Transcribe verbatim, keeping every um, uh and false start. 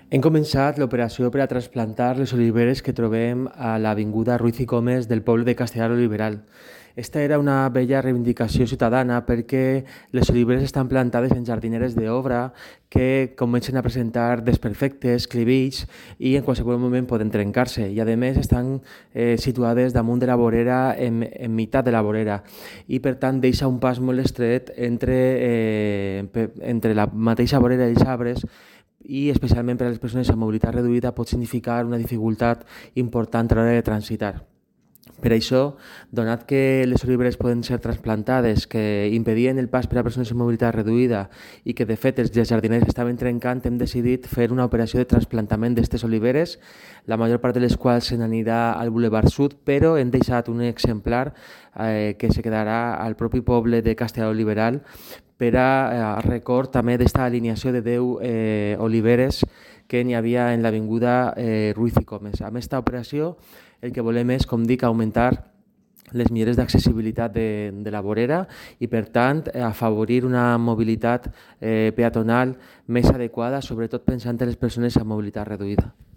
Hem començat l'operació per a trasplantar les oliveres que trobem a l'avinguda Ruiz i Comes del poble de Castellar Oliveral. Esta era una bella reivindicació ciutadana perquè les oliveres estan plantades en jardineres d'obra que comencen a presentar desperfectes, clivills i en qualsevol moment poden trencar-se. I a més estan eh, situades damunt de la vorera, en, en meitat de la vorera, i per tant deixa un pas molt estret entre, eh, entre la mateixa vorera i els arbres, i especialment per a les persones amb mobilitat reduïda pot significar una dificultat important a l'hora de transitar. Per això, donat que les oliveres poden ser trasplantades, que impedien el pas per a persones amb mobilitat reduïda i que de fet els jardiners estaven trencant, hem decidit fer una operació de trasplantament d'aquestes oliveres, la major part de les quals se n'anirà al Boulevard Sud, però hem deixat un exemplar eh, que se quedarà al propi poble de Castellar Oliveral per a, a record també d'esta alineació de deu eh, oliveres que n'hi havia en l'avinguda eh, Ruiz i Comes. Amb aquesta operació el que volem és, com dic, augmentar les millores d'accessibilitat de, de la vorera i, per tant, afavorir una mobilitat eh, peatonal més adequada, sobretot pensant en les persones amb mobilitat reduïda.